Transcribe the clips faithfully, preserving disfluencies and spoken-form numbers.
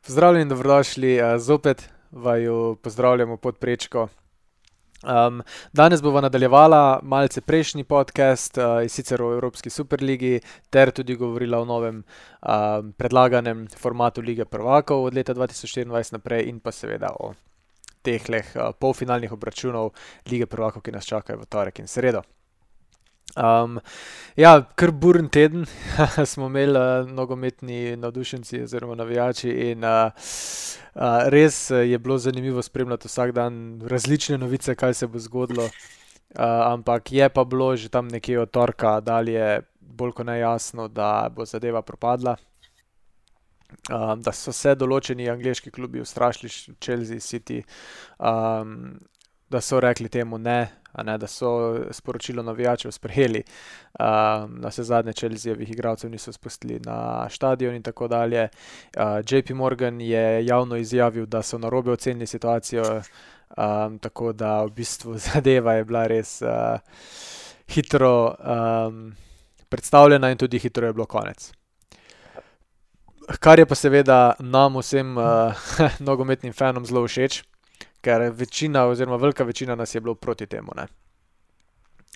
Pozdravljeni in dobrodošli, uh, zopet vaju pozdravljamo pod prečko. Um, danes bova nadaljevala malce prejšnji podcast, uh, in sicer o Evropski superligi, ter tudi govorila o novem um, predlaganem formatu Lige prvakov od leta dva tisoč štiriindvajset naprej in pa seveda o tehleh uh, polfinalnih obračunov Lige prvakov, ki nas čakajo v torek in sredo. Um, ja, kar buren teden smo imeli uh, nogometni navdušenci oziroma navijači in uh, uh, res uh, je bilo zanimivo spremljati vsak dan različne novice, kaj se bo zgodilo, uh, ampak je pa bilo že tam nekje od torka dalje bolj kot nejasno, da bo zadeva propadla. Um, da so se določeni angleški klubi ustrašili, Chelsea, City, um, da so rekli temu ne, a ne, da so sporočilo navijačev sprejeli, um, na vse zadnje Chelseajevih igralcev niso spustili na štadion in tako dalje. Uh, J P Morgan je javno izjavil, da so narobe ocenili situacijo, um, tako da v bistvu zadeva je bila res uh, hitro um, predstavljena in tudi hitro je bilo konec. Kar je pa seveda nam vsem uh, nogometnim fanom zelo všeč, ker večina oziroma velika večina nas je bilo proti temu, ne.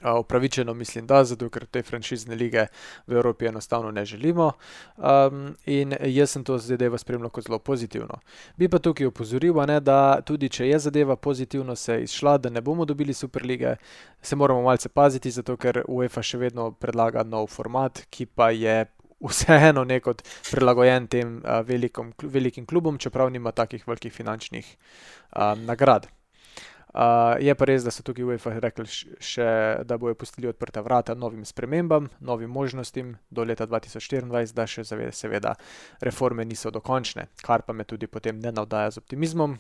Uh, upravičeno mislim, da, zato ker te franšizne lige v Evropi enostavno ne želimo, um, in jaz sem to zadevo spremljal kot zelo pozitivno. Bi pa tukaj opozoril, a ne, da tudi če je zadeva pozitivno se izšla, da ne bomo dobili superlige, se moramo malce paziti, zato ker UEFA še vedno predlaga nov format, ki pa je vseeno nekot prilagojen tem uh, velikom, velikim klubom, čeprav nima takih velikih finančnih um, nagrad. Uh, je pa res, da so tukaj UEFA rekli še, da bojo pustili odprta vrata novim spremembam, novim možnostim do leta dva tisoč štiriindvajset, da še seveda reforme niso dokončne, kar pa me tudi potem ne navdaja z optimizmom,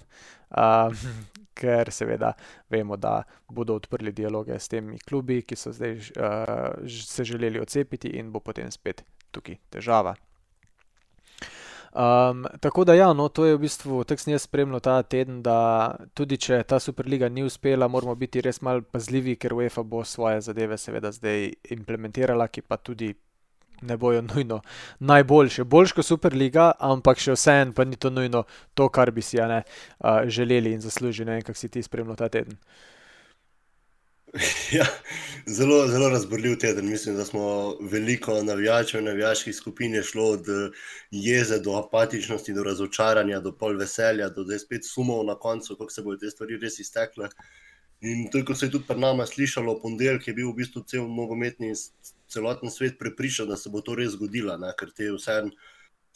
uh, ker seveda vemo, da bodo odprli dialoge s temi klubi, ki so zdaj uh, se želeli odcepiti in bo potem spet tukaj težava. Um, tako da ja, no, to je v bistvu, tako sem jaz spremljal ta teden, da tudi če ta superliga ni uspela, moramo biti res malo pazljivi, ker UEFA bo svoje zadeve seveda zdaj implementirala, ki pa tudi ne bojo nujno najboljše. Boljš kot superliga, ampak še vseeno pa ni to nujno to, kar bi si, a ne, uh, želeli in zaslužili. Ne vem, kako si ti spremljal ta teden. Ja, zelo, zelo razborljiv teden. Mislim, da smo veliko navijačev, navijaških skupin je šlo od jeze do apatičnosti, do razočaranja, do pol veselja, do zdaj spet sumov na koncu, kako se bodo te stvari res iztekle. In to, ko se je tudi pri nama slišalo, ponedeljek je bil v bistvu cel nogometni, celoten svet prepričan, da se bo to res zgodilo, ne? Ker te vseeno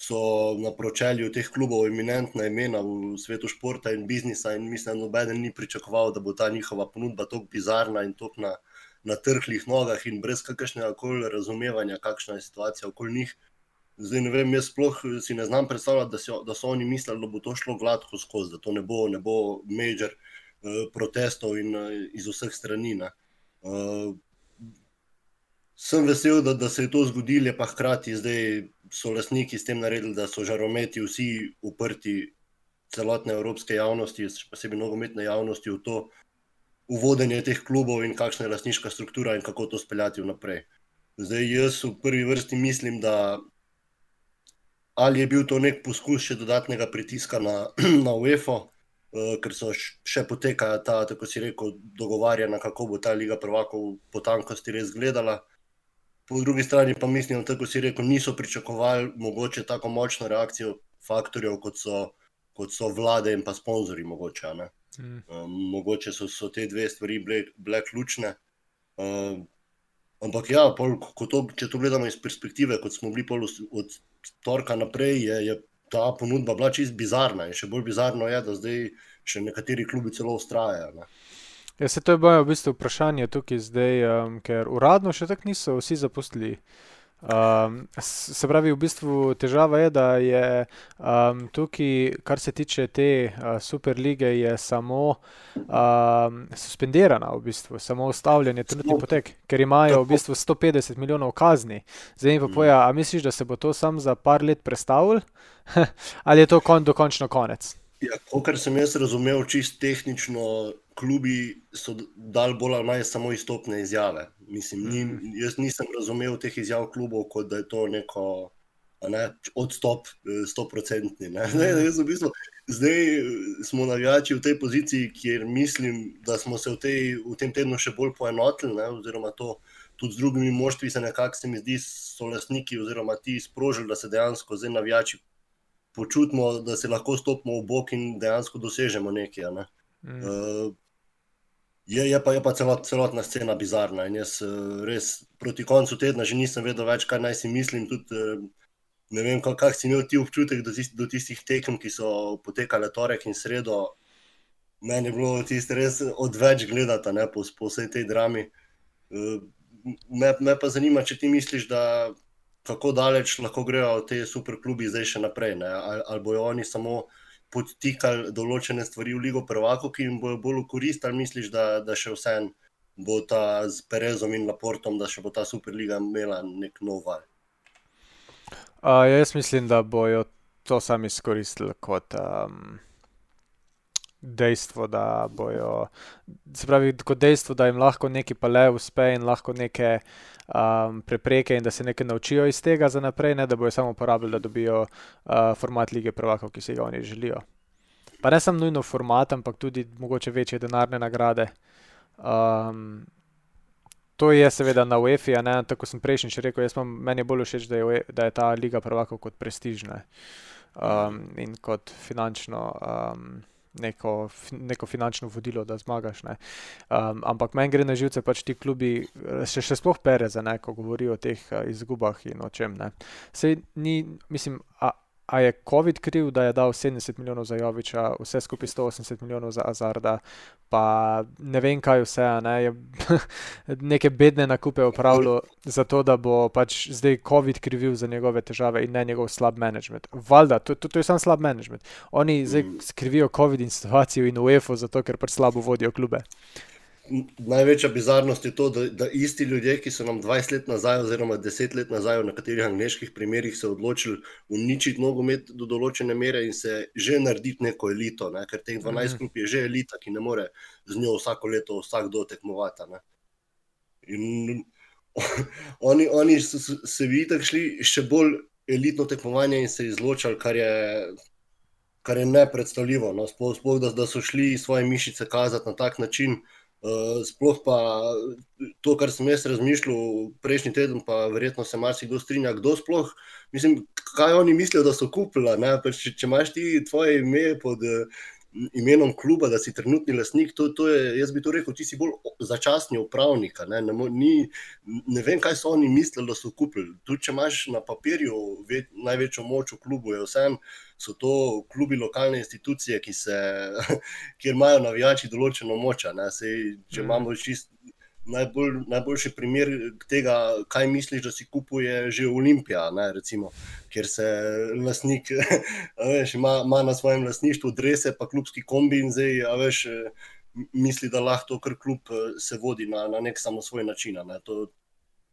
so na pročelju teh klubov eminentna imena v svetu športa in biznisa in mislim, da nobeden ni pričakoval, da bo ta njihova ponudba toliko bizarna in toliko na, na trhlih nogah in brez kakršnega koli razumevanja, kakšna je situacija okoli njih. Zdaj ne vem, jaz sploh si ne znam predstavljati, da, si, da so oni mislili, da bo to šlo gladko skozi, da to ne bo, ne bo major uh, protestov in uh, iz vseh strani. Uh, sem vesel, da, da se je to zgodilo, pa hkrati zdaj so lastniki s tem naredili, da so žarometi vsi uprti celotne evropske javnosti, posebej nogometne javnosti v to uvodenje teh klubov in kakšna je lastniška struktura in kako to speljati vnaprej. Zdaj jaz v prvi vrsti mislim, da ali je bil to nek poskus še dodatnega pritiska na, na UEFA, uh, ker so še potekajo ta, tako si rekel, dogovarjanja, kako bo ta Liga prvakov po tankosti res gledala. Po drugi strani pa mislim, tako si rekel, niso pričakovali mogoče tako močno reakcijo faktorjev, kot so, kot so vlade in pa sponzorji mogoče. Ne? Mm. Um, mogoče so, so te dve stvari bile, bile ključne. Um, ampak ja, pol, ko to, če to gledamo iz perspektive, kot smo bili pol od torka naprej, je, je ta ponudba bila čist bizarna in še bolj bizarno je, da zdaj še nekateri klubi celo vztrajajo. Ne? Ja, se to je bojo v bistvu vprašanje tukaj zdaj, um, ker uradno še tako niso vsi zapustili. Um, se pravi, v bistvu težava je, da je um, tukaj, kar se tiče te uh, superlige, je samo um, suspendirana v bistvu, samo ustavljanje trenutni potek, ker imajo v bistvu sto petdeset milijonov kazni. Zdaj mi pa poja, a misliš, da se bo to sam za par let prestavil? Ali je to kon, dokončno konec? Ja, kar sem jaz razumel, čist tehnično, klubi so dali bolj ali manj samo izstopne izjave. Mislim, ni, jaz nisem razumel teh izjav klubov, kot da je to neko ne, odstop stoprocentni. Zdaj, v bistvu, zdaj smo navijači v tej poziciji, kjer mislim, da smo se v, tej, v tem tednu še bolj poenotili, ne, oziroma to tudi z drugimi moštvi se nekako, se mi zdi, so lastniki oziroma ti sprožili, da se dejansko zdaj navijači počutimo, da se lahko stopimo v bok in dejansko dosežemo nekaj. Ne. Mm. Uh, je, je pa, je pa celot, celotna scena bizarna in jaz uh, res proti koncu tedna že nisem vedel več, kaj naj si mislim, tudi uh, ne vem, kak, kak si imel ti občutek do, tist, do tistih tekem, ki so potekale torek in sredo. Meni je bilo tisto res odveč gledati, ne, po, po vsej tej drami. Uh, Me, me pa zanima, če ti misliš, da kako daleč lahko grejo te superklubi zdaj še naprej, ne? Ali, ali bojo oni samo podtikali določene stvari v Ligo prvakov, ki jim bojo bolj v korist, ali misliš, da, da še vsem bo ta z Perezom in Laportom, da še bo ta Superliga imela nek nov val? Uh, jaz mislim, da bojo to sami izkoristili kot um, dejstvo, da bojo, se pravi, kot dejstvo, da jim lahko neki pa le uspe in lahko neke um, prepreke in da se nekaj naučijo iz tega za naprej, ne, da bojo samo uporabili, da dobijo uh, format Lige prvakov, ki si ga oni želijo. Pa ne samo nujno format, ampak tudi mogoče večje denarne nagrade. Um, to je seveda na UEFA, ne, tako sem prejšnjič rekel, jaz imam, meni je bolj všeč, da je, da je ta Liga prvakov kot prestižna um, in kot finančno um, Neko, neko finančno vodilo, da zmagaš. Ne. Um, ampak meni gre na živce pač ti klubi, še, še sploh Pereza, ne, ko govori o teh uh, izgubah in o čem. Ne. Sej ni, mislim, a, a je COVID kriv, da je dal sedemdeset milijonov za Jovića, vse skupaj sto osemdeset milijonov za Hazarda, pa ne vem kaj vse, ne, je neke bedne nakupe opravljal za to, da bo pač zdaj COVID krivil za njegove težave in ne njegov slab management. Valjda, to, to, to je sam slab management. Oni zdaj skrivijo COVID in situacijo in UEFA zato, ker pač slabo vodijo klube. Največja bizarnost je to, da, da isti ljudje, ki so nam dvajset let nazaj oziroma deset let nazaj v nekaterih angleških primerih se odločili uničiti nogomet do določene mere in se že narediti neko elito, ne? Ker teh dvanajst klub je že elita, ki ne more z njo vsako leto vsakdo tekmovati. Ne? In oni, oni so se vi tako šli še bolj elitno tekmovanje in se izločali, kar je, kar je nepredstavljivo. No? Sploh, sploh da, da so šli svoje mišice kazati na tak način. Uh, sploh pa to, kar sem jaz razmišljal prejšnji teden, pa verjetno se marsikdo strinja, kdo sploh, mislim, kaj oni mislijo, da so kupila, ne? Pa če, če imaš ti tvoje ime pod uh, imenom kluba, da si trenutni lastnik, to, to je, jaz bi to rekel, ti si bolj začasni upravnik, ne? Ne, ni, ne vem, kaj so oni mislili, da so kupili. Tudi če imaš na papirju ve, največjo moč v klubu, je vsem, so to klubi lokalne institucije, ki se, kjer imajo navijači določeno moč. Sej, če imamo čist najbolj, najboljši primer tega, kaj misliš, da si kupuje že Olimpija, ne, recimo, kjer se lastnik veš, ima, ima na svojem lastništvu drese pa klubski kombi in zdaj, a veš, misli, da lahko kar klub se vodi na, na nek samosvoj način. Ne. To,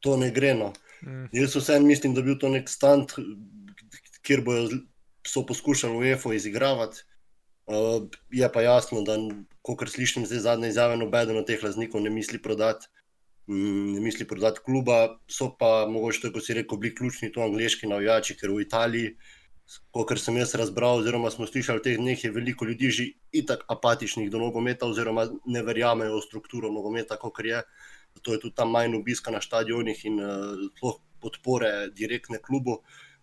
to ne gre. No. Mm. Jaz vsem mislim, da bi bil to nek stand, kjer bojo so poskušali UEFA izigravati. Uh, je pa jasno, da kakor slišim zdaj zadnje izjave, nobeden od teh lastnikov ne misli prodati, mm, ne misli prodati kluba, so pa mogoče, tako si rekel, bili ključni to angleški navijači, ker v Italiji, kakor sem jaz razbral, oziroma smo slišali v teh dneh, je veliko ljudi že itak apatičnih do nogometa, oziroma ne verjamejo v strukturo nogometa, kakor je. Zato je tudi tam manj obiska na štadionih in uh, podpore direktne klubu.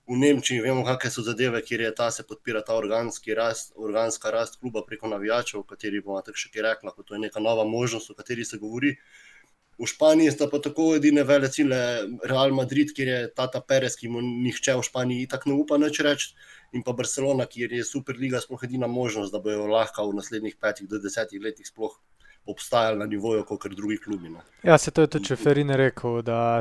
V Nemčiji vemo, kakve so zadeve, kjer je ta se podpira ta organski rast, organska rast kluba preko navijačev, o kateri bomo tako še kaj rekla, ko to je neka nova možnost, o kateri se govori. V Španiji sta pa tako edine velecile Real Madrid, kjer je Tata Perez, ki mu nihče v Španiji itak ne upa nič reči, in pa Barcelona, kjer je Superliga sploh edina možnost, da bojo lahko v naslednjih petih do desetih letih sploh obstajali na nivoju, kot drugi klubi. Ne. Ja, se to je tudi Čeferin rekel, da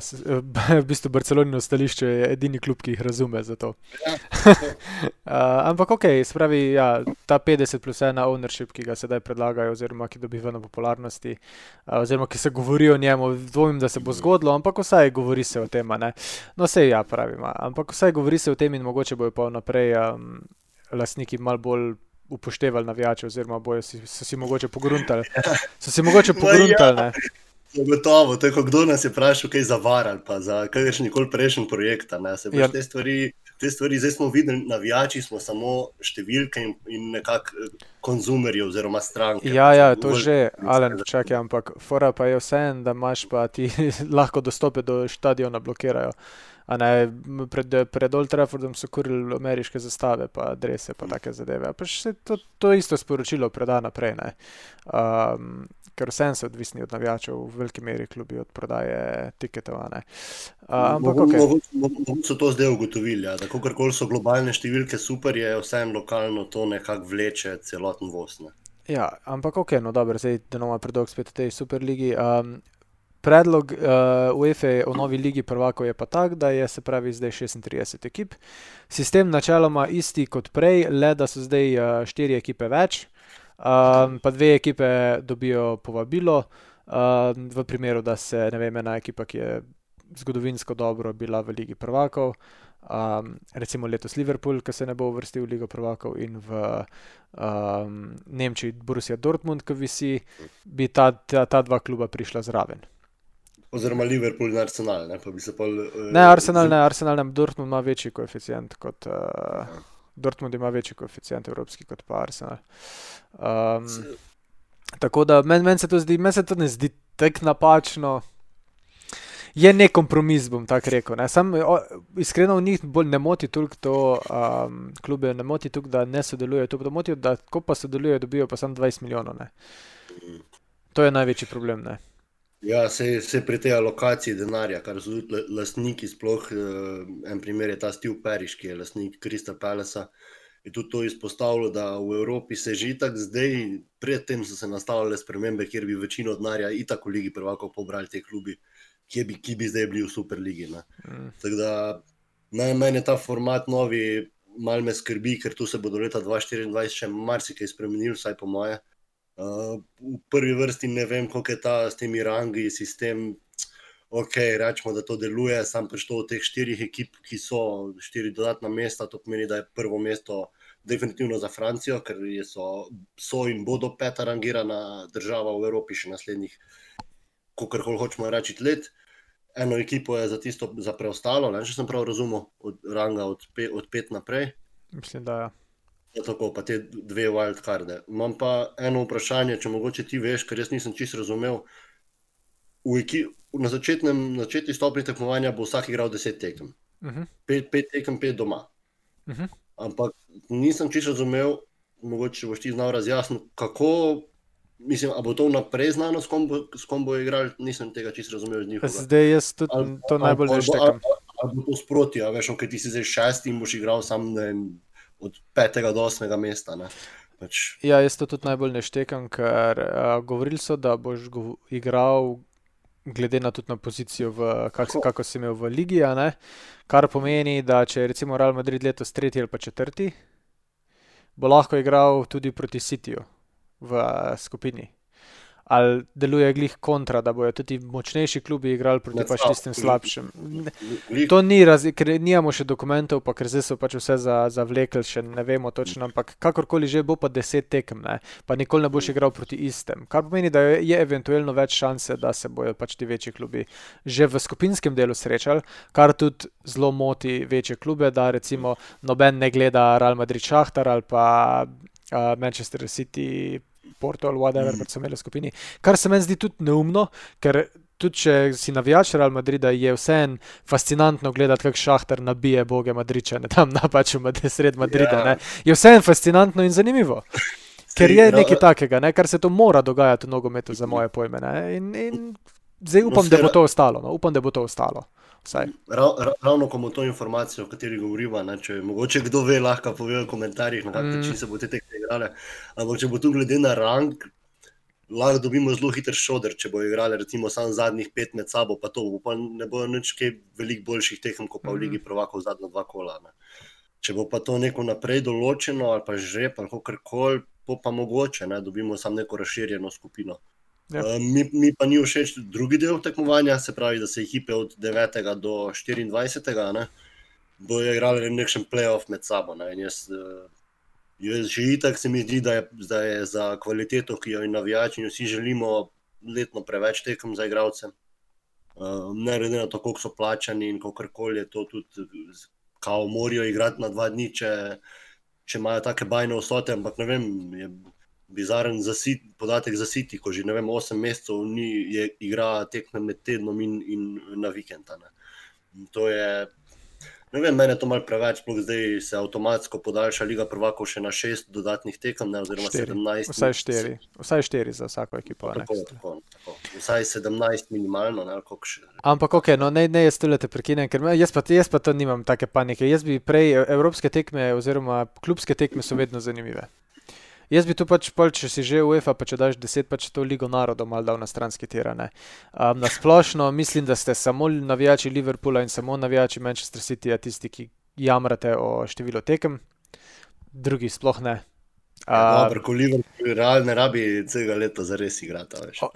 v bistvu Barcelonino stališče je edini klub, ki jih razume za to. Ja, uh, ampak ok, spravi, ja, ta petdeset plus ena ownership, ki ga sedaj predlagajo, oziroma ki dobiva na popularnosti, uh, oziroma ki se govori o njemu, dvomim, da se bo zgodilo, ampak vsaj govori se o tem, ne. No, sej ja, pravim, ampak vsaj govori se o tem in mogoče bojo pa naprej um, lastniki malo bolj upoštevali navijače, oziroma bojo si, so si mogoče pogruntali. So si mogoče pogruntali, ne? Gotovo, tako kdo nas je vprašal kaj za VAR ali pa za kakršnikoli prejšnji projekt, ne? Se boš ja. te stvari te stvari. Zdaj smo videli, navijači smo samo številke in, in nekako konzumerji oziroma stranke. Ja, ja, to že, Alen, čakaj, ampak fora pa je vseeno, da imaš pa ti lahko dostope do štadiona blokirajo. A ne, pred, pred Old Traffordom so kurili ameriške zastave, pa drese, pa take zadeve. Pa še to, to isto sporočilo preda naprej, ne. Um, ker vseeno so odvisni od navijačev, v veliki meri klubi od prodaje tiketov, a ne. Uh, ampak okej. Mogoče so to zdaj ugotovili, ja, da kakorkoli so globalne številke super, je vseeno lokalno to nekako vleče celoten voz, ne. Ja, ampak okej, no dobro, zdaj denoma predolg spet v tej Superligi. Um, Predlog uh, UEFA o novi ligi prvakov je pa tak, da je se pravi zdaj šestintrideset ekip. Sistem načeloma isti kot prej, le da so zdaj uh, štiri ekipe več, um, pa dve ekipe dobijo povabilo, um, v primeru, da se, ne vem, ena ekipa, ki je zgodovinsko dobro bila v ligi prvakov, um, recimo letos Liverpool, ki se ne bo uvrstil v ligo prvakov, in v um, Nemčiji Borussia Dortmund, ki visi, bi ta, ta, ta dva kluba prišla zraven. Oziroma Liverpool in Arsenal, ne, pa bi se pol... Uh, ne, Arsenal ne, Arsenal ne, Dortmund ima večji koeficient kot... Uh, Dortmund ima večji koeficient evropski kot pa Arsenal. Um, tako da, meni men se to zdi, meni se to ne zdi tak napačno. Je nek kompromis, bom tako rekel, ne. Sam, o, iskreno v njih bolj ne moti toliko to, um, klube ne moti toliko, da ne sodelujejo, to pa motijo, da ko pa sodelujejo, dobijo pa samo dvajset milijonov, ne. To je največji problem, ne. Ja, se, se pri tej alokaciji denarja, kar so tudi lastniki, sploh en primer je ta Steve Parish, ki je lastnik Crystal Palacea, je tudi to izpostavilo, da v Evropi se že itak zdaj, predtem so se nastavljale spremembe, kjer bi večino denarja itak v ligi prvakov pobrali te klubi, ki bi, ki bi zdaj bili v Superligi, ne. Mm. Tako da, najmanj je ta format novi, malo me skrbi, ker tu se bo do leta dva tisoč štiriindvajset še marsikaj spremenil, vsaj po moje. Uh, v prvi vrsti ne vem, koliko je ta s temi rangi sistem, ok, rečemo, da to deluje, sam prišlo od teh štirih ekip, ki so štiri dodatna mesta, to pomeni, da je prvo mesto definitivno za Francijo, ker so, so in bodo peta rangirana država v Evropi še naslednjih, kolikor hočemo reči, let. Eno ekipo je za tisto, za preostalo, ne, če sem prav razumel, od ranga od, pe, od pet naprej. Mislim, da ja. Tako, pa te dve wildcarde. Imam pa eno vprašanje, če mogoče ti veš, ker jaz nisem čisto razumel. V eki, na začetnem, na začetni stopnji tekmovanja bo vsak igral deset tekem. Uh-huh. Pet, pet tekem, pet doma. Uh-huh. Ampak nisem čisto razumel, mogoče boš ti znal razjasniti, kako, mislim, a bo to vnaprej znano, s kom bo, s kom bo igral, nisem tega čisto razumel z njihovega. Zdaj jaz tudi al, to najbolj ne štekam. Ali bo to sproti, a veš, ok, ti si zdaj šesti in boš igral sam, ne vem, od petega do osmega mesta, ne. Pač... Ja, jaz to tudi najbolj ne štekam, ker uh, govorili so, da boš go- igral glede na tudi na pozicijo, v, kak, kako si imel v ligi, a ne, kar pomeni, da če je recimo Real Madrid letos tretji ali pa četrti, bo lahko igral tudi proti Cityju v uh, skupini. Ali deluje glih kontra, da bojo tudi močnejši klubi igrali proti pač tistim slabšim. To ni, raz, ker nijamo še dokumentov, pa ker zdaj so pač vse za, zavlekli, še ne vemo točno, ampak kakorkoli že bo pa deset tekem, ne, pa nikoli ne boš igral proti istem. Kar pomeni, da je, je eventualno več šanse, da se bojo pač ti večji klubi že v skupinskem delu srečali, kar tudi zelo moti večje klube, da recimo noben ne gleda Real Madrid Šahtar ali pa uh, Manchester City Porto ali whatever, pa so imeli v skupini. Kar se meni zdi tudi neumno, ker tudi če si navijač Real Madrida, je vseeno fascinantno gledati, kak Šahtar nabije boge Madričane tam na pač v sred Madrida, yeah. Ne. Je vseeno fascinantno in zanimivo. Ker je nekaj takega, ne, kar se to mora dogajati v nogometu za moje pojme, ne. In, in zdaj upam, da bo to ostalo, no. Upam, da bo to ostalo. Rav, ravno ko bomo to informacijo, o kateri govoriva, ne, če mogoče kdo ve, lahko pove v komentarjih, na kak način mm. se bo te tekme igrale, ampak če bo tu glede na rang, lahko dobimo zelo hiter šoder, če bo igrali recimo samo zadnjih pet med sabo, pa to bo pa ne bo nič kaj veliko boljših tekem, kot pa v Ligi prvakov zadnja dva kola. Ne. Če bo pa to neko naprej določeno, ali pa žreb, ali kakorkoli, pa mogoče, ne, dobimo samo neko razširjeno skupino. Yep. Uh, mi, mi pa ni všeč drugi del tekmovanja, se pravi, da se ekipe od devetega do štiriindvajsetega ne, bojo igrali nekšen play-off med sabo. Ne, in jaz, uh, jaz že itak se mi zdi, da je, da je za kvaliteto, ki jo in navijači in vsi želimo, letno preveč tekem za igralce. Uh, ne glede na to, koliko so plačani in kakorkoli je to tudi, kao morajo igrati na dva dni, če, če imajo take bajne vsote, ampak ne vem, je bizaren za sit, podatek za City, ko že ne vem, osem mesecev ni je, igra tekme med tednom in, in na vikenda. Ne. To je, ne vem, mene to malo preveč, sploh zdaj se avtomatsko podaljša Liga prvakov še na šest dodatnih tekem, ne, oziroma Štiri. sedemnajst. Vsaj štiri. Vsaj štiri za vsako ekipo. Ne. Tako, tako, tako. Vsaj sedemnajst minimalno, ne, ali koliko še. Ampak ok, no ne, ne jaz tole te prekinem, ker me- jaz pa, jaz pa to nimam take panike. Jaz bi prej, evropske tekme oziroma klubske tekme so vedno zanimive. Jaz bi tu pač, pol, če si že UEFA, pa če daš deset, pač to Ligo narodov malo dal na stranski tir, ne. Um, na splošno mislim, da ste samo navijači Liverpoola in samo navijači Manchester Cityja tisti, ki jamrate o številu tekem, drugi sploh ne. Ja, Um, dobro, ko Liverpool real ne rabi celega leta zares igrati, a veš. O-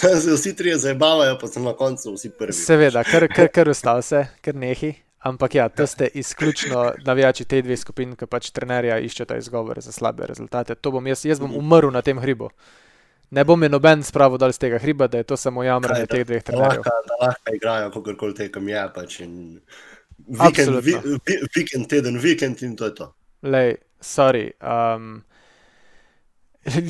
Da se vsi trije zabavajo, pa so na koncu vsi prvi. Seveda, kar, kar, kar ustav se, kar nehi. Ampak ja, to ste izključno navijači tej dve skupin, ki pač trenerja iščeta izgovore za slabe rezultate. To bom jaz, jaz bom umrl na tem hribu. Ne bom je noben spravil dal z tega hriba, da je to samo jamranje Kaj, teh dveh Da trenerjev. lahko, da lahko igrajo, kakorkoli tekem je, pač in vikend, vi, Absolutno. vi, vikend, teden, vikend in to je to. Lej, sorry. Um,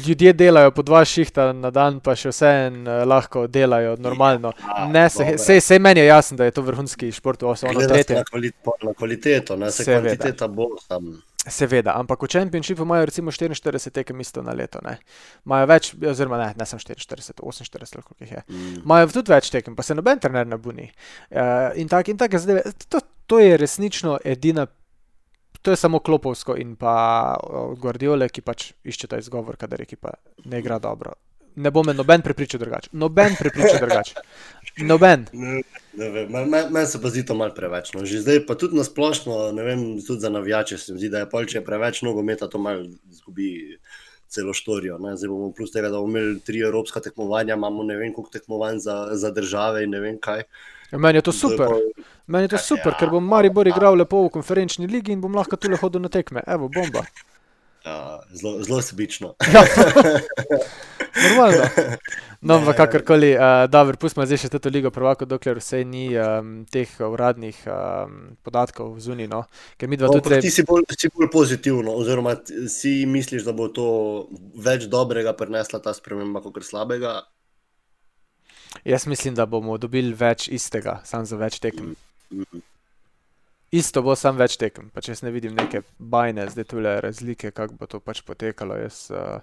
ljudje delajo po dva šihta na dan, pa še vseeno uh, lahko delajo normalno. Ja, Ne, se, dobro. sej, sej meni je jasno, da je to vrhunski šport, ono Gleda se tretje. na, kvalit, na kvaliteto, ne, se Seveda. kvantiteta bo tam. Seveda, ampak v Championshipu imajo recimo štiriinštirideset tekem isto na leto, ne. Imajo več, oziroma ne, ne sem štiriinštirideset, oseminštirideset, ali koliko jih je. Mm. Imajo tudi več tekem, pa se noben trener ne buni. Uh, in tak, in take zadeve, to, to je resnično edina, to je samo Klopovsko in pa uh, Guardiole, ki pač iščeta izgovor, kadar ekipa ne igra dobro. Ne bo me noben prepričal drugače. Noben prepričal drugače. Noben. Ne, ne vem, meni men, men se pa zdi to malo preveč. No. Že zdaj pa tudi na splošno, ne vem, tudi za navijače se mi zdi, da je pol, če je preveč nogometa, to malo zgubi celo štorijo. Ne. Zdaj bomo plus tega, da bomo imeli tri evropska tekmovanja, imamo ne vem koliko tekmovanj za, za države in ne vem kaj. Meni je to To je super. pol- Meni je to Ja, super, ker bom Maribor igral lepo v konferenčni ligi in bom lahko tule hodil na tekme. Evo, bomba. Ja, zelo, zelo sebično. Ja. Normalno. No, Ne. ampak kakorkoli, uh, dobro, pustimo zdaj še to ligo prvakov, dokler vse ni um, teh uradnih um, podatkov zunaj, no. Ker mi dva No, tudi ampak ti treba... si bolj, si bolj pozitivno, oziroma t- si misliš, da bo to več dobrega prinesla ta sprememba, kot slabega? Jaz mislim, da bomo dobili več istega, samo za več tekem. Mhm. Isto bo samo več tekem, pač jaz ne vidim neke bajne zdaj tule razlike, kako bo to pač potekalo. Jaz, uh,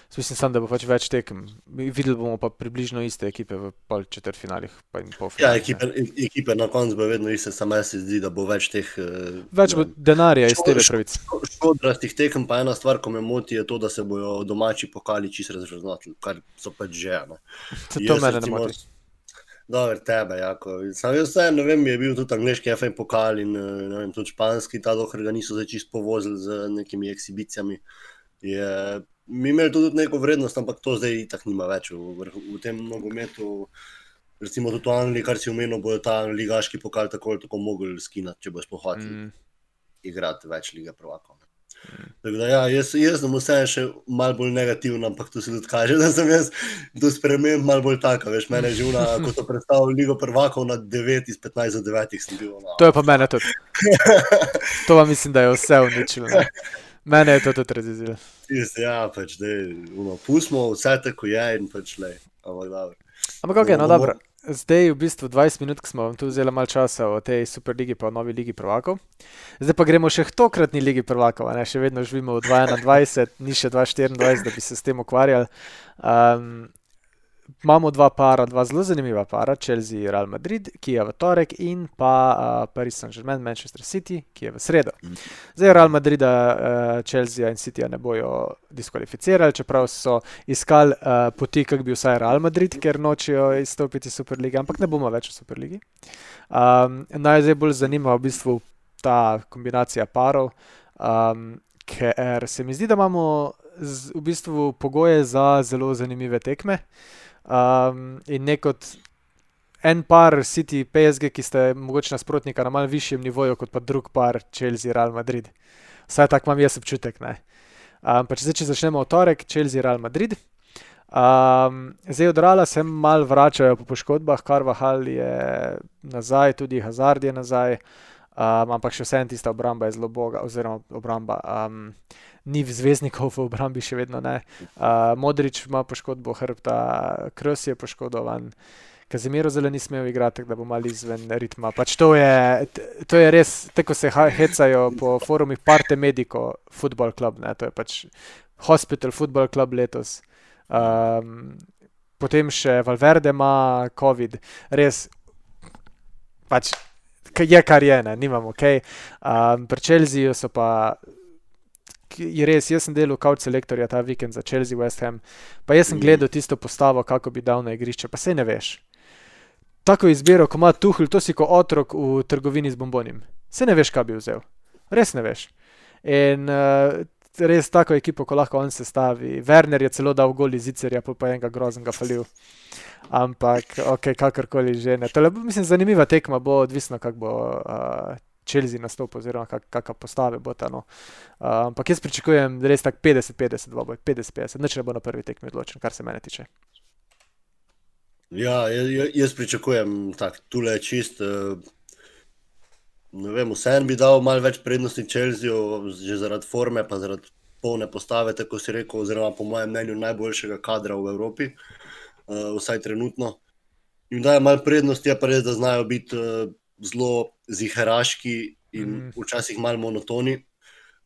jaz mislim samo, da bo pač več tekem. Mi videli bomo pa približno iste ekipe v pol četrtfinalih pa in Ja, polfinalih. ekipe, e- ekipe na koncu bo vedno iste, samo jaz se zdi, da bo več teh eh, Več bo denarja iz Ško- tebe ško- pravic. škodrastih tekem, pa ena stvar, ko me moti, je to, da se bojo domači pokali čisto razvrednotili, kar so pač že. Ne. To Jaz mene ne recimo- moti. Dobro, tebe, jako. Sam jaz vse, ne vem, je bil tudi angleški F A pokal in eh, ne vem, tudi španski, ta dokler ga niso zdaj čisto povozili z nekimi ekshibicijami. Je, mi imeli to tudi neko vrednost, ampak to zdaj itak nima več v, vrhu- v tem nogometu. Recimo tudi v Angliji, kar si omenil, bojo ta ligaški pokal tako ali tako mogli skinati, če bo sploh hoteli Mm. igrati več lige prvakov. Tako da, ja, jaz, jaz sem vseeno še malo bolj negativen, ampak to se tudi kaže, da sem jaz do sprememb malo bolj taka. Veš, mene je že una, ko so predstavili Ligo prvakov na devet iz petnajst za devetih sem bil. No. To je pa mene tudi. To pa mislim, da je vse uničilo. Ne. Mene je to tudi razjezilo. Tisti, ja, pač, dej, uno, pustimo vse tako je in pač lej. Ampak dobro. Ampak ok, no Bomo- dobro. Zdaj v bistvu dvajset minut, ko smo vam tu vzeli malo časa o tej Superligi pa o novi Ligi prvakov. Zdaj pa gremo še k tokratni Ligi prvakov, a ne, še vedno živimo v dva tisoč enaindvajset, ni še dva tisoč štiriindvajset, da bi se s tem ukvarjali. Um, imamo dva para, dva zelo zanimiva para, Chelsea, Real Madrid, ki je v torek, in pa uh, Paris Saint-Germain, Manchester City, ki je v sredo. Zdaj Real Madrida, uh, Chelsea in Cityja ne bojo diskvalificirali, čeprav so iskali uh, poti, kako bi vsaj Real Madrid, ker nočejo izstopiti iz Superlige, ampak ne bomo več v Superligi. Um, naj zdaj bolj zanima v bistvu ta kombinacija parov, um, ker se mi zdi, da imamo z, v bistvu pogoje za zelo zanimive tekme. Um, in ne kot en par City P S G, ki ste mogoče nasprotnika na malo višjem nivoju, kot pa drug par Chelsea Real Madrid. Vsaj tak imam jaz občutek. Ne? Um, pa če zdaj, če začnemo v torek, Chelsea Real Madrid. Um, zdaj od Reala se malo vračajo po poškodbah, Carvajal je nazaj, tudi Hazard je nazaj. um, ampak še vseeno tista obramba je zelo boga, oziroma obramba. Um, ni zvezdnikov v obrambi, še vedno ne. Uh, Modrič ima poškodbo hrbta, Kroos je poškodovan, Kazemiro zelo ni smel igrati, tako da bo malo izven ritma. Pač to je, to je res, tako se hecajo po forumih Parte Medico Football Club, ne, to je pač Hospital Football Club letos. Um, potem še Valverde ima COVID, res, pač je kar je, ne, nimam ok. Um, pri Chelseaju so pa, je res, jaz sem delal couch selektorja ta vikend za Chelsea West Ham, pa jaz sem gledal tisto postavo, kako bi dal na igrišče, pa sej ne veš. Tako izbiro, ko ima Tuchel, to si ko otrok v trgovini z bombonim. Sej ne veš, kaj bi vzel. Res ne veš. In uh, res tako ekipo, ko lahko on sestavi. Werner je celo dal gol iz Zicerja, pa pa enega groznega falil. Ampak, ok, kakorkoli že ne. Tole, mislim, zanimiva tekma bo, odvisno, kak bo uh, Chelsea nastopil, oziroma kak, kakva postave bo ta, no. Uh, ampak jaz pričakujem res tak petdeset petdeset, petdeset petdeset, nič ne bo na prvi tekmi odločen, kar se mene tiče. Ja, jaz pričakujem tak, tule čist, ne vem, vseeno bi dal malo več prednosti Chelseaju, že zaradi forme, pa zaradi polne postave, tako si rekel, oziroma po mojem mnenju najboljšega kadra v Evropi, vsaj trenutno. In daje malo prednosti, je pa res, da znajo biti zelo ziheraški in mm. včasih malo monotoni,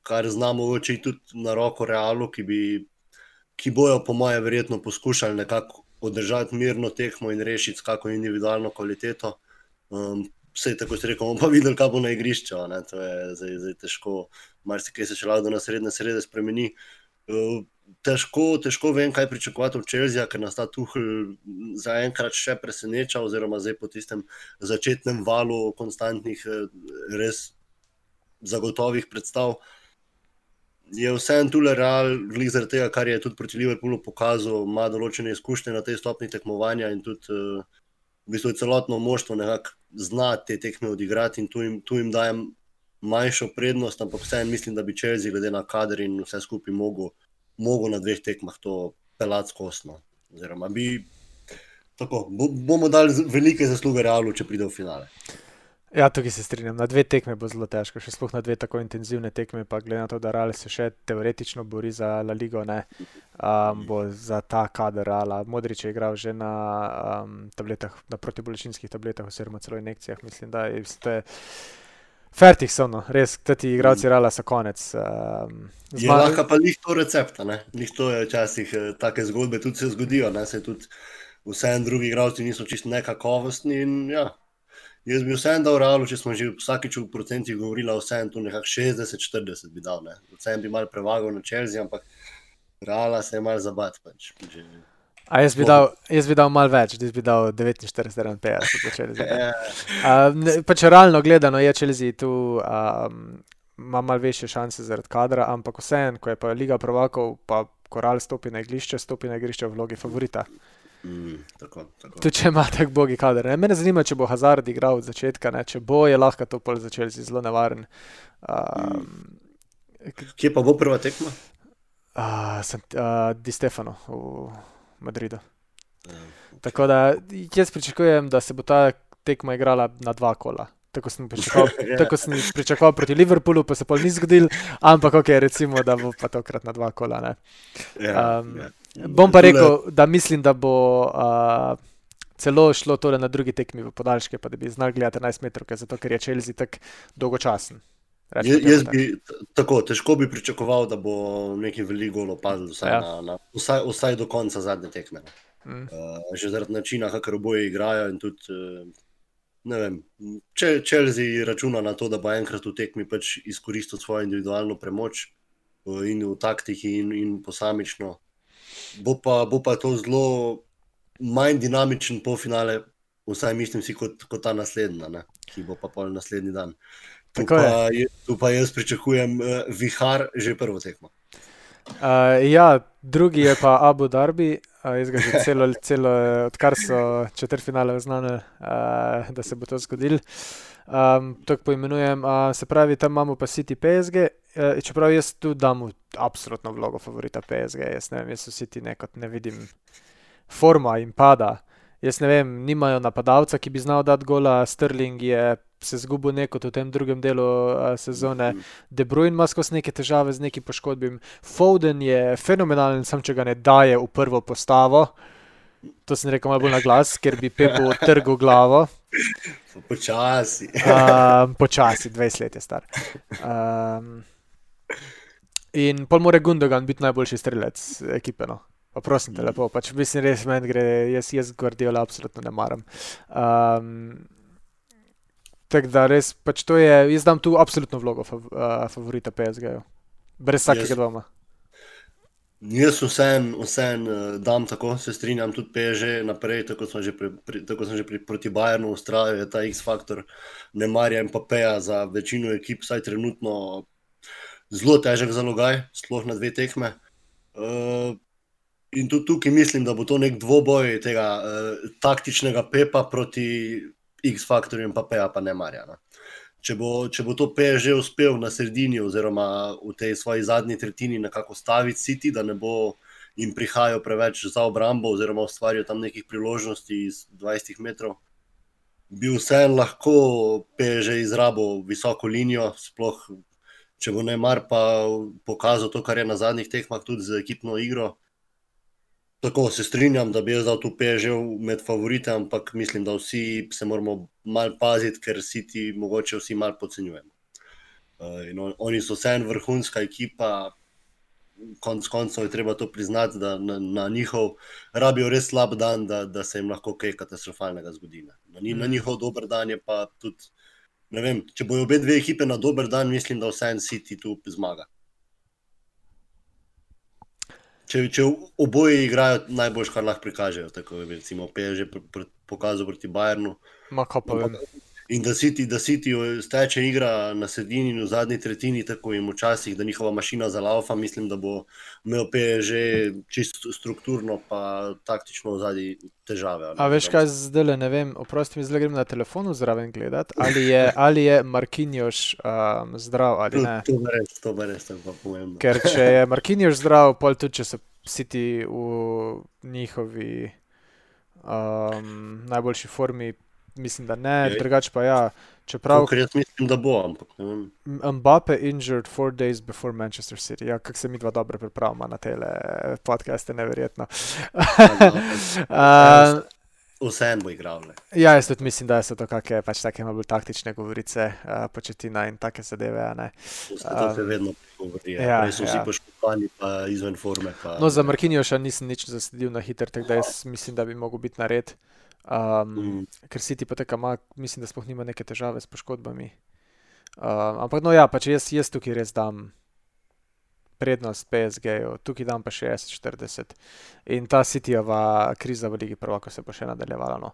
kar znamo oči tudi na roko Realu, ki bi, ki bojo po mojem verjetno poskušali nekako održati mirno tekmo in rešiti s kako individualno kvaliteto. Um, vse tako si rekel, bomo pa videli, kaj bo na igrišču, ne? To je zdaj, zdaj težko, marsikaj se še lahko na srednje srede spremeni. Uh, težko, težko vem, kaj pričakovati od Chelsea, ker nas ta Tuchel zaenkrat še preseneča, oziroma zdaj po tistem začetnem valu konstantnih, res zagotovih predstav. Je vseeno tule Real, glih zaradi tega, kar je tudi proti Liverpoolu pokazal, ima določene izkušnje na tej stopni tekmovanja in tudi uh, v bistvu celotno moštvo nekako zna te tekme odigrati in tu jim, tu jim dajem manjšo prednost, ampak vseeno mislim, da bi Chelsea glede na kader in vse skupaj mogel, mogel na dveh tekmah to pelati skosno. Oziroma bi, tako, bo, bomo dali velike zasluge Realu, če pride v finale. Ja, tukaj se strinjam. Na dve tekme bo zelo težko, še sploh na dve tako intenzivne tekme, pa glede na to, da Real se še teoretično bori za La Ligo, ne, um, bo za ta kader Reala. Modrič je igral že na um, tabletah, na protibolečinskih tabletah, oziroma celo injekcijah, mislim, da je, je fertik so, no, res, ti igralci Reala so konec. Um, je lahko pa lih to recepta, ne, lih to je včasih take zgodbe tudi se zgodijo, ne, se tudi vseeno drugi igralci niso čisto nekakovostni in ja, jaz bi vseeno dal Realu, če smo že vsakič v procentih govorila, vseeno tu nekako šestdeset štirideset bi dal, ne. Vseeno bi malo prevagal na Chelsea, ampak Reala se je malo zabat, pač. Že... A jaz bi, dal, jaz bi dal malo več, jaz bi dal devetinštirideset petdeset za Chelsea. uh, pač realno gledano je Chelsea tu, um, ima malo večje šanse zaradi kadra, ampak vseeno, ko je pa Liga prvakov, pa ko Real stopi na igrišče, stopi na igrišče v vlogi favorita. Mm, tako, tako. Tudi če ima tak bogi kader. Ne? Mene zanima, če bo Hazard igral od začetka, ne? Če bo, je lahko to pol za Chelsea zelo nevaren. Um, Kje pa bo prva tekma? Uh, sem, uh, Di Stefano v Madridu. Ja, okay. Tako da jaz pričakujem, da se bo ta tekma igrala na dva kola. Tako sem pričakoval, yeah. tako sem pričakoval proti Liverpoolu, pa se pol ni zgodil, ampak ok, recimo, da bo pa tokrat na dva kola. Ne? Yeah, um, yeah. Bom pa rekel, da mislim, da bo uh, celo šlo tole na drugi tekmi v podaljške, pa da bi znali gledati enajst metrovke, zato ker je Chelsea tak dolgočasen. Je, jaz bi, tako, težko bi pričakoval, da bo neki velik gol opadl vsaj, ja. na, na, vsaj, vsaj do konca zadnje tekme. Mm. Uh, že zaradi načina, kakor oboje igrajo in tudi, uh, ne vem, če Chelsea računa na to, da bo enkrat v tekmi pač izkoristil svojo individualno premoč uh, in v taktiki in, in posamično, Bo pa, bo pa to zelo manj dinamičen polfinale, vsaj mislim si, kot, kot ta naslednja, ne? Ki bo pa pol naslednji dan. Tu pa, je, tu pa jaz pričakujem uh, vihar že prvo tekmo. Uh, ja, drugi je pa Abu Dhabi, uh, jaz ga že celo, celo odkar so četrtfinale oznanili, uh, da se bo to zgodilo. Um, tako poimenujem, uh, se pravi, tam imamo pa City P S G, uh, čeprav jaz tu dam v absolutno vlogo favorita P S G, jaz ne vem, jaz v City nekot ne vidim forma in pada. Jaz ne vem, nimajo napadalca, ki bi znal dati gola, Sterling je se zgubil nekot v tem drugem delu uh, sezone, De Bruyne ima skozi neke težave z nekim poškodbim, Foden je fenomenalen, sam če ga ne daje v prvo postavo, to sem rekel malo bolj na glas, ker bi Pepu trgal glavo. Počasi. um, počasi, dvajset let je star. Um, in pol more Gundogan biti najboljši strelec ekipe, no. Pa prosim te lepo, pač mislim res meni gre, jaz, jaz Guardiola absolutno ne maram. Um, tako da res, pač to je, jaz dam tu absolutno vlogo fav, uh, favorita P S G-ju. Brez vsakega Jaz- dvoma. Jaz vsem, vsem eh, dam tako, se strinjam, tudi P S G naprej, tako sem že, pri, pri, tako sem že pri, proti Bayernu ustrajal, je ta X-faktor Neymarja in Mbappéja za večino ekip, saj trenutno zelo težek zalogaj, sploh na dve tekme. Uh, in tudi tukaj mislim, da bo to nek dvoboj tega uh, taktičnega Pepa proti X-faktorju Mbappéja pa Neymarja. No. Če bo, če bo to P S G uspel na sredini oziroma v tej svoji zadnji tretjini nekako staviti City, da ne bo jim prihajal preveč za obrambo oziroma ustvarjal tam nekih priložnosti iz dvajset metrov, bi vseeno lahko P S G izrabil visoko linijo, sploh če bo Neymar pa pokazal to, kar je na zadnjih tekmah tudi z ekipno igro. Tako se strinjam, da bi jaz dal tu P S G med favorite, ampak mislim, da vsi se moramo malo paziti, ker City mogoče vsi malo podcenjujemo. Uh, in on, oni so vseeno vrhunska ekipa, konc koncev je treba to priznati, da na, na njihov rabijo res slab dan, da, da se jim lahko kaj katastrofalnega zgodi. Na, mm. na njihov dober dan je pa tudi, ne vem, če bojo obe dve ekipe na dober dan, mislim, da vseeno City tu zmaga. Če, če oboji igrajo najboljš, kar lahko prikažejo, tako je recimo P S G pr, pr, pokazal proti Bayernu. Ma kaj pa vem. In da City, da City steče igra na sredini in v zadnji tretjini, tako jim včasih, da njihova mašina zalaufa, mislim, da bo imel P S G čisto strukturno pa taktično v zadnji težave. A veš kaj zdaj, ne vem, oprosti mi, zdaj grem na telefonu zraven gledati, ali je, ali je Marquinhos um, zdrav ali ne. To bo res, to bo res, to bo pomembno. Ker če je Marquinhos zdrav, pol tudi če so City v njihovi um, najboljši formi, mislim, da ne, Je. drugače pa ja, čeprav Ker jaz mislim, da bo, ampak ne vem. Mbappe injured four days before Manchester City. Ja, kako se mi dva dobro pripravimo na tele podcaste, neverjetno. uh, Vseeno bo igral. Ne. ja, jaz tudi mislim, da so to kakšne pač take malo bolj taktične govorice, uh, Početina in take zadeve, a ne. To se Um, vedno govori. ja, Ja, so vsi ja. poškodovani pa izven forme. Pa, No, za Marquinhosa nisem nič zasledil na hiter, tako da jaz mislim, da bi mogel biti nared. Um, Mm. ker City poteka ima, mislim, da sploh nima neke težave s poškodbami. Um, ampak no ja, pač jaz, jaz tukaj res dam prednost P S G-ju, tukaj dam pa šestdeset štirideset. In ta Cityjeva kriza v Ligi prvakov se bo še nadaljevala. No.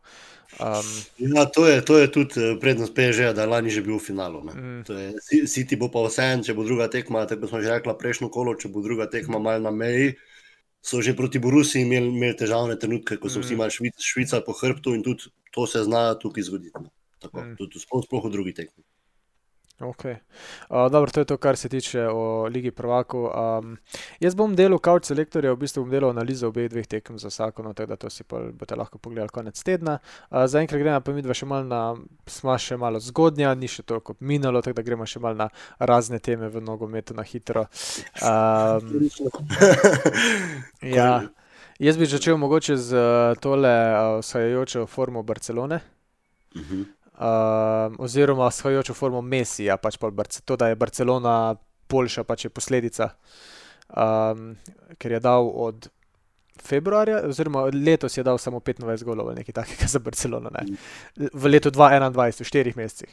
Um, Ja, to je, to je tudi eh, prednost P S G-ja, da je lani že bil v finalu. Ne. mm, To je, Ci- City bo pa vseeno, če bo druga tekma, tako smo že rekla prejšnjo kolo, če bo druga tekma malo na meji, so že proti Borusiji imeli, imeli težavne trenutke, ko so vsi Mm. malo švic, švicali po hrbtu in tudi to se zna tukaj zgoditi. No. Tako, Mm. tudi sploh, sploh v drugi tekmi. ok. Uh, dobro, to je to, kar se tiče o Ligi prvakov. Um, jaz bom delal couch selektorja, v bistvu bom delal analizo obeh dveh tekem za vsako, no, tako da to si pol boste lahko pogledali konec tedna. Uh, zaenkrat gremo pa midva še malo na, sva še malo zgodnja, ni še toliko minalo, tako da gremo še malo na razne teme v nogometu na hitro. Um, ja, jaz bi začel mogoče z uh, tole uh, vzhajajočo formo Barcelone. Mhm. Um, oziroma shajajočo formo Messija, pač pol Barce, to, da je Barcelona boljša, pač je posledica, um, ker je dal od februarja, oziroma letos je dal samo petindvajset golov ali nekaj takega za Barcelono, ne. V letu dva tisoč enaindvajset, v štirih mesecih.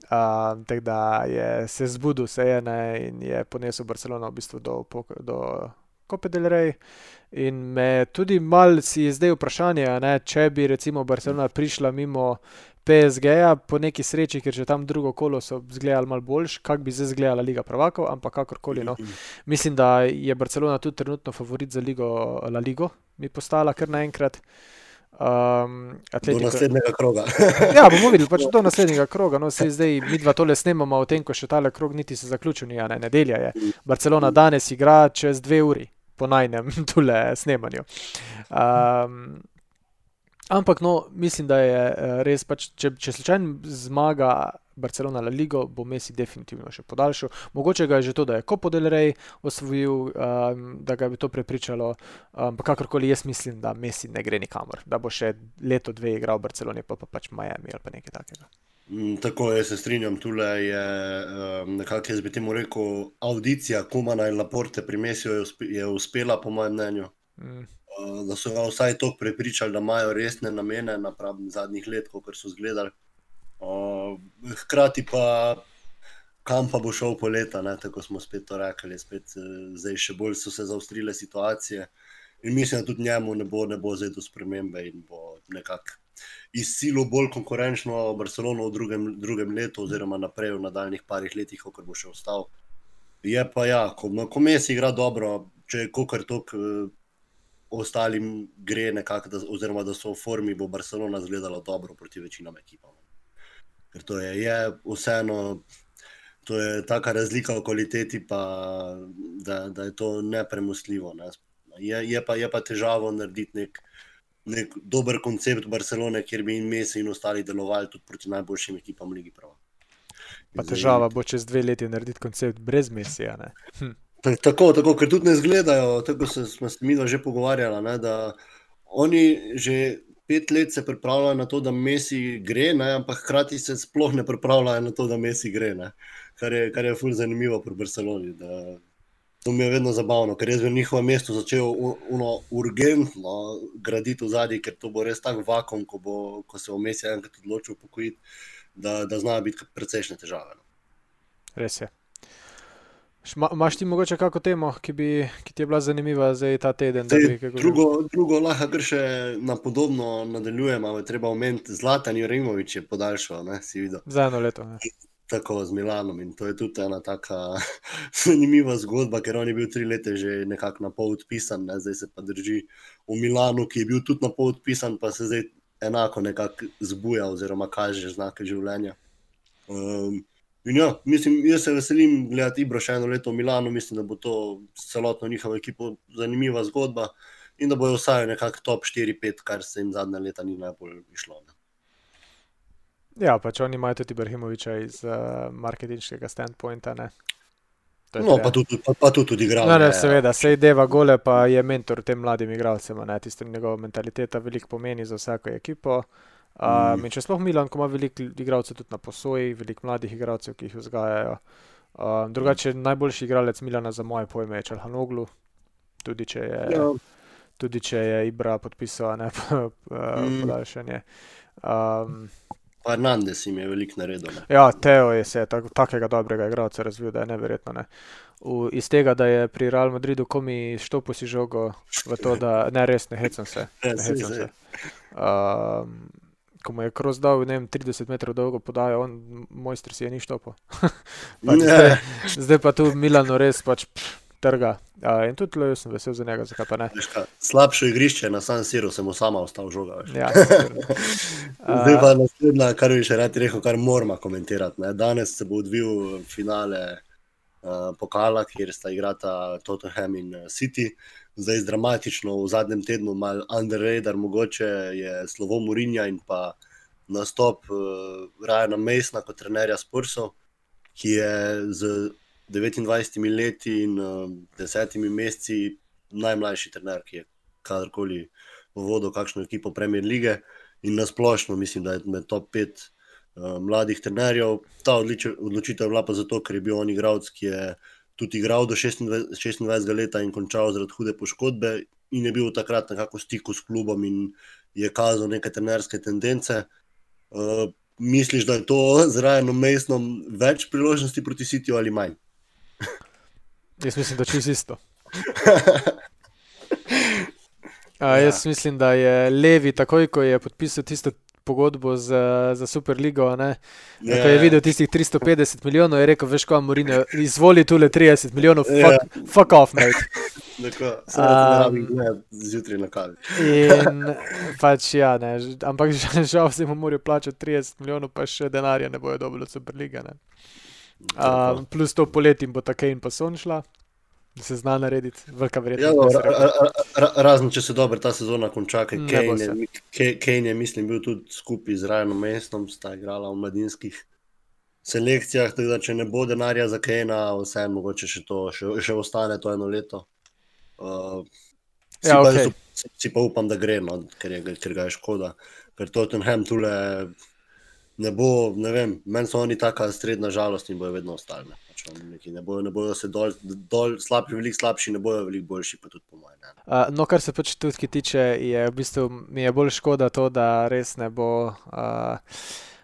Um, tako da je se zbudil, se je, ne, in je ponesel Barcelono v bistvu do, pok- do Cope del Rey. In me tudi mal si je zdaj vprašanje, a ne, če bi recimo Barcelona prišla mimo P S G-ja po neki sreči, ker že tam drugo kolo so zgledali malo boljš, kak bi zdaj zgledala Liga prvakov, ampak kakorkoli, no. Mislim, da je Barcelona tudi trenutno favorit za Ligo, La Ligo, mi postala kar naenkrat. Um, Do Atletico, naslednjega kroga. ja, bomo videli, pač do naslednjega kroga, no, sej zdaj mi dva tole snemamo o tem, ko še tale krog niti se zaključil ni, a ne, nedelja je. Barcelona danes igra čez dve uri po najnem tule snemanju. Um, Ampak no, mislim, da je eh, res pač, če, če slučajno zmaga Barcelona La Ligo, bo Messi definitivno še podaljšal. Mogoče ga je že to, da je Copa del Rey osvojil, um, da ga bi to prepričalo, ampak um, kakorkoli jaz mislim, da Messi ne gre nikamor, da bo še leto, dve igral v Barceloni, pa, pa pač Miami ali pa nekaj takega. Mm, tako, jaz se strinjam, tule je um, nekako, jaz bi temu rekel, audicija Kumana in Laporte pri Messiju je, uspe, je uspela, po mojem mnenju. Mm. Uh, da so ga vsaj toliko prepričali, da imajo resne namene napravim zadnjih let, kot so zgledali. Uh, hkrati pa, kam pa bo šel po leta, ne? Tako smo spet to rekli, spet zdaj še bolj so se zaostrile situacije in mislim, da tudi njemu ne bo, ne bo zdaj do spremembe in bo nekako izsilo bolj konkurenčno Barcelono v drugem, drugem letu oziroma naprej v nadaljnih parih letih, kot bo še ostal. Je pa ja, ko, ko Messi igra dobro, če je kokar tok uh, ostalim gre nekako, da, oziroma da so v formi, bo Barcelona zgledala dobro proti večinam ekipam. Ker to je, je vseeno, to je taka razlika v kvaliteti, pa, da, da je to nepremostljivo. Ne. Je, je, pa, je pa težavo narediti nek, nek dober koncept Barcelone, kjer bi in Messi in ostali delovali tudi proti najboljšim ekipam Ligi prvakov. Pa težava bo čez dve leti narediti koncept brez Messija, ne? Hm. Tako, tako, ker tudi ne zgledajo, tako se, smo se mi že pogovarjali, ne, da oni že pet let se pripravljajo na to, da Messi gre, ne, ampak hkrati se sploh ne pripravljajo na to, da Messi gre, ne, kar je, kar je ful zanimivo pri Barceloni. Da, to mi je vedno zabavno, ker jaz bi v njihovem mestu začel uno urgentno graditi v zadnji, ker to bo res tak vakuum, ko, bo, ko se bo Messi enkrat odločil upokojiti, da, da znajo biti precejšnje težave. Res je. Imaš ti mogoče kako temo, ki, bi, ki ti je bila zanimiva zdaj ta teden? Zdaj, bi, drugo, drugo lahko kar še na podobno nadaljujemo, ali treba omeniti, Zlatan Ibrahimović je podaljšal, ne, si videl. Za eno leto. Ne. Tako z Milanom in to je tudi ena taka zanimiva zgodba, ker on je bil tri leta že nekako na pol odpisan, ne, zdaj se pa drži v Milanu, ki je bil tudi na pol odpisan, pa se zdaj enako nekako zbuja oziroma kaže znake življenja. Um, In ja, mislim, jaz se veselim gledati Ibro še eno leto v Milanu, mislim, da bo to celotno njihovo ekipo zanimiva zgodba in da bojo vsaj nekako top štiri pet, kar se jim zadnja leta ni najbolj išlo. Ne. Ja, pač oni imajo tudi Ibrahimovića iz uh, marketinškega standpointa, ne. No, pa tudi, pa, pa tudi igral. No, ne, seveda, sej deva gole, pa je mentor tem mladim igralcem, ne, tista njegova mentaliteta veliko pomeni za vsako ekipo. Um, in če sploh Milan, ko ima veliko igralcev tudi na posoji, veliko mladih igralcev, ki jih vzgajajo. Um, drugače, najboljši igralec Milana za moje pojme je Çalhanoğlu, tudi če je, ja. tudi če je Ibra podpisal, ne, podaljšanje. Um, Hernandez jim je veliko naredil. Ne. Ja, Teo je se tak, takega dobrega igralca razvil, da je neverjetno, ne. V, iz tega, da je pri Real Madridu komi štopil si žogo v to, da ne res ne hecam se. Ne hecam se. Um, ko mu je Kroos dal, ne vem, trideset metrov dolgo podajo, on, mojster si je ni štopil. zdaj, zdaj pa tu Milano res pač pff, trga. Uh, in tudi jaz sem vesel za njega, zakaj pa ne. Slabše igrišče na San Siru se mu sama ostal žoga. Ja, zdaj pa naslednja, kar bi še rad rekel, kar moramo komentirati. Ne. Danes se bo odvil finale uh, pokala, kjer sta igrata Tottenham in City. Zdaj dramatično v zadnjem tednu mal under radar mogoče je slovo Mourinha in pa nastop uh, Ryana Masona kot trenerja Spursov, ki je z devetindvajsetimi leti in uh, desetimi meseci najmlajši trener, ki je kadarkoli vodil kakšno ekipo Premier lige in nasplošno mislim, da je med top pet uh, mladih trenerjev. Ta odločitev je bila pa zato, ker je bil on igralec, ki je tudi igral do šestindvajsetega leta in končal zaradi hude poškodbe in je bil takrat nekako v stiku s klubom in je kazal neke trenerske tendence. Uh, misliš, da je to z Ryanom Masonom več priložnosti proti Cityju ali manj? Jaz mislim, da čist isto. A, jaz ja. mislim, da je Levi takoj, ko je podpisal tisto pogodbo za, za Superligo, ne, yeah. ko je videl tistih tristo petdeset milijonov, je rekel, veš ko, Mourinho, izvoli tule trideset milijonov, fuck, yeah. fuck off, mate. Tako, se um, ne zjutraj na kavi. In pač ja, ne, ampak žal se mu morajo plačati trideset milijonov, pa še denarja ne bojo dobili od Superliga, ne. Um, plus to poleti bo ta Kane pa Son šla, da se zna narediti, velika Ja, verjetnost. no, da se ra, reče. ra, ra, razen če se dobro ta sezona konča, ker Ne bo Kane, se. je- Ke- Kane je, mislim, bil tudi skupaj z Ryanom Mestom, sta igrala v mladinskih selekcijah, tako da če ne bo denarja za Kanea, vseeno mogoče še to, še, še ostane to eno leto. Uh, si, Ja, pa, okej. jaz up- si, si pa upam, da gre, no, ker, je, ker ga je škoda. Ker Tottenham tule ne bo, ne vem, meni so oni taka srednja žalost in bojo vedno ostali. Ne, pač oni neki ne bojo, ne bojo se dol, dol slabši, veliko slabši, ne bojo veliko boljši, pa tudi po mojem. Ne. Uh, no, kar se pač tudi tiče, je v bistvu mi je bolj škoda to, da res ne bo uh,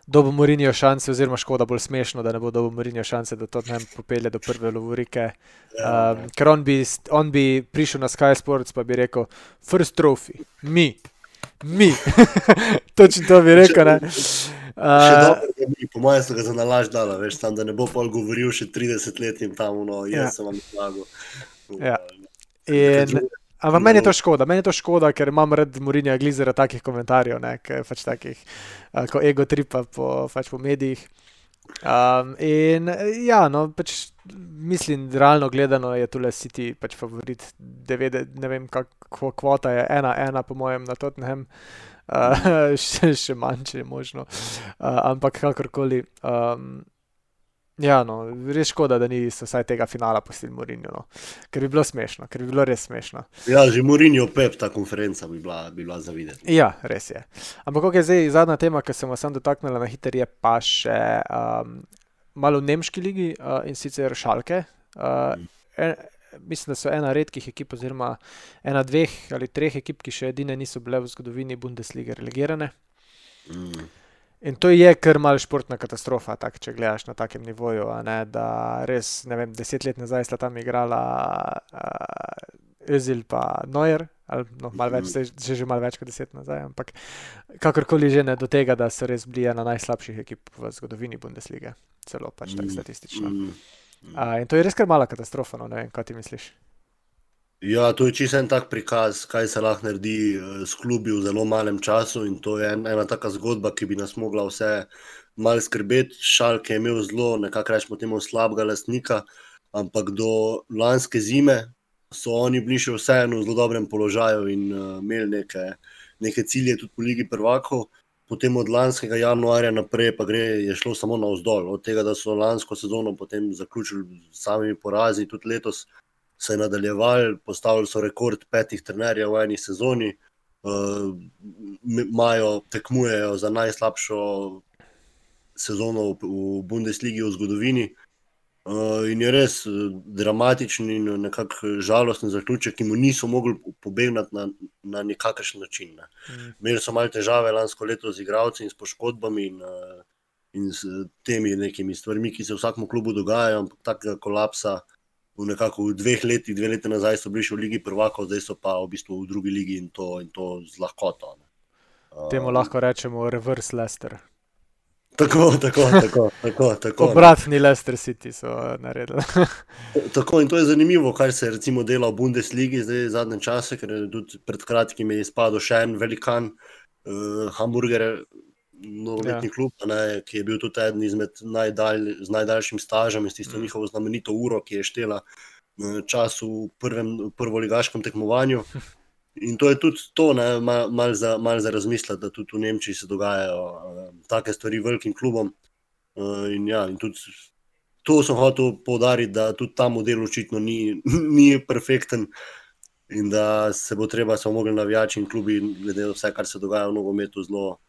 dobil Mourinho šanse, oziroma škoda bolj smešno, da ne bo dobil Mourinho šanse, da to ne popelje do prve lovorike. Ja, Um, ker on bi, on bi prišel na Sky Sports pa bi rekel, first trophy, mi, mi. Točno to bi rekel, ne. Še Uh, dobro, da mi, po mojem, so ga za nalaž dala, veš, tam, da ne bo pol govoril še trideset let in tam, no, jaz Ja. sem vam zmagal. Ja. In, ampak meni je to škoda, meni je to škoda, ker imam rad Mourinhoja glizera takih komentarjev, ne, ke pač takih, uh, ko ego tripa po, pač po medijih. Um, in ja, no, pač mislim, realno gledano je tule City pač favorit, devetdeset, ne vem, kako kvota je, ena, ena po mojem na Tottenham, uh, še, še manj, če je možno, uh, ampak kakorkoli. Um, Ja, no, res škoda, da niso vsaj tega finala pustili Mourinho, no. Ker bi bilo smešno, ker bi bilo res smešno. Ja, že Mourinho Pep, ta konferenca bi bila, bi bila za videti. Ja, res je. Ampak ok, zdaj zadnja tema, ki sem vas sam dotaknila na hiter, je pa še um, malo v nemški ligi uh, in sicer Schalke. Uh, en, mislim, da so ena redkih ekip oziroma ena dveh ali treh ekip, ki še edine niso bile v zgodovini Bundeslige relegirane. Mm. In to je kar mal športna katastrofa, tak, če gledaš na takem nivoju, a ne, da res, ne vem, deset let nazaj sta tam igrala uh, Özil pa Neuer, ali no, malo več, Mhm. že, že malo več kot deset nazaj, ampak kakorkoli že ne do tega, da so res bili ena najslabših ekip v zgodovini Bundeslige, celo pač tak Mm. statistično. Mm. Uh, in to je res kar mala katastrofa, no, ne vem, kaj ti misliš? Ja, to je čisto en tak prikaz, kaj se lahko naredi eh, s klubi v zelo malem času in to je en, ena taka zgodba, ki bi nas mogla vse malo skrbeti. Schalke je imel zelo, nekako rečemo temu, slabega lastnika, ampak do lanske zime so oni bili še vseeno v zelo dobrem položaju in uh, imeli neke, neke cilje tudi po Ligi prvakov. Potem od lanskega januarja naprej pa gre, je šlo samo navzdol. Od tega, da so lansko sezono potem zaključili s samimi porazi, tudi letos se je nadaljevali, postavili so rekord petih trenerjev v eni sezoni, uh, imajo, tekmujejo za najslabšo sezono v, v Bundesligi v zgodovini. Uh, in je res uh, dramatičen in nekako žalosten zaključek, ki mu niso mogli pobegnati na, na nikakršen način. Ne. Mm. Imeli so malo težave lansko leto z igralci in s poškodbami in, uh, in s temi nekimi stvarmi, ki se v vsakem klubu dogajajo, ampak takega kolapsa v nekako v dveh letih, dve leti nazaj so bili še v Ligi prvakov, zdaj so pa v bistvu v drugi ligi in to, in to z lahkoto. Uh, Temu lahko rečemo reverse Leicester. Tako, tako, tako, tako, tako. Obratni Leicester City so naredili. Tako, in to je zanimivo, kar se recimo dela v Bundesligi zdaj zadnje čase, ker je tudi pred kratkim je izpadel še en velikan, uh, Hamburger, nogometni Ja. klub, ne, ki je bil tudi eden izmed najdalj, z najdaljšim stažem in s tisto Mm. njihovo znamenito uro, ki je štela eh, čas v prvem prvoligaškem tekmovanju. In to je tudi to, ne, malo mal za, mal za razmisliti, da tudi v Nemčiji se dogajajo uh, take stvari velikim klubom. Uh, in ja, in tudi to sem hotel poudariti, da tudi ta model očitno ni, ni perfekten in da se bo treba, so mogli navijači in klubi, glede na vse, kar se dogaja v nogometu, zelo,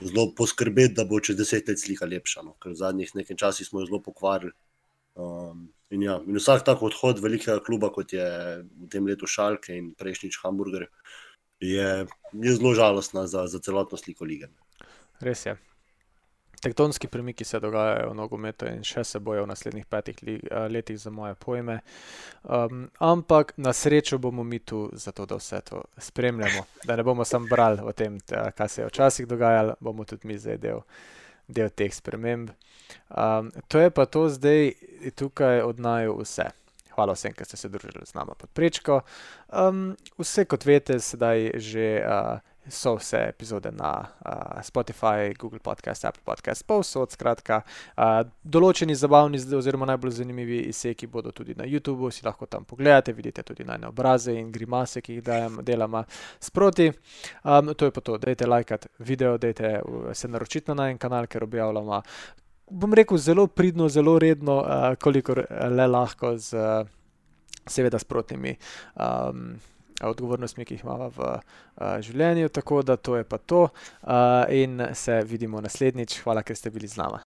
zelo poskrbeti, da bo čez deset let slika lepša, no? Ker v zadnjih nekaj časih smo jo zelo pokvarili. Um, in, ja, in vsak tak odhod velikega kluba, kot je v tem letu Schalke in prejšnjič Hamburger, je, je zelo žalostna za, za celotno sliko lige. Res je. Tektonski premiki se dogajajo v nogometu in še se bojo v naslednjih petih li, uh, letih za moje pojme. Um, ampak na srečo bomo mi tu zato, da vse to spremljamo. Da ne bomo samo brali o tem, ta, kaj se je včasih dogajalo, bomo tudi mi zdaj del, del teh sprememb. Um, to je pa to zdaj tukaj od naju vse. Hvala vsem, ki ste se družili z nama pod prečko. Um, vse kot veste, sedaj že uh, so vse epizode na uh, Spotify, Google Podcast, Apple Podcast, povsod, skratka. Uh, določeni zabavni oziroma najbolj zanimivi izseki bodo tudi na YouTubu, si lahko tam pogledate, vidite tudi najne obraze in grimase, ki jih dajem, delamo sproti. Um, to je pa to, dajte lajkat video, dajte se naročiti na najen kanal, ker objavljamo, bom rekel, zelo pridno, zelo redno, uh, kolikor le lahko z uh, seveda sprotnimi um, odgovornostmi, ki jih imamo v uh, življenju, tako da to je pa to uh, in se vidimo naslednjič. Hvala, ker ste bili z nama.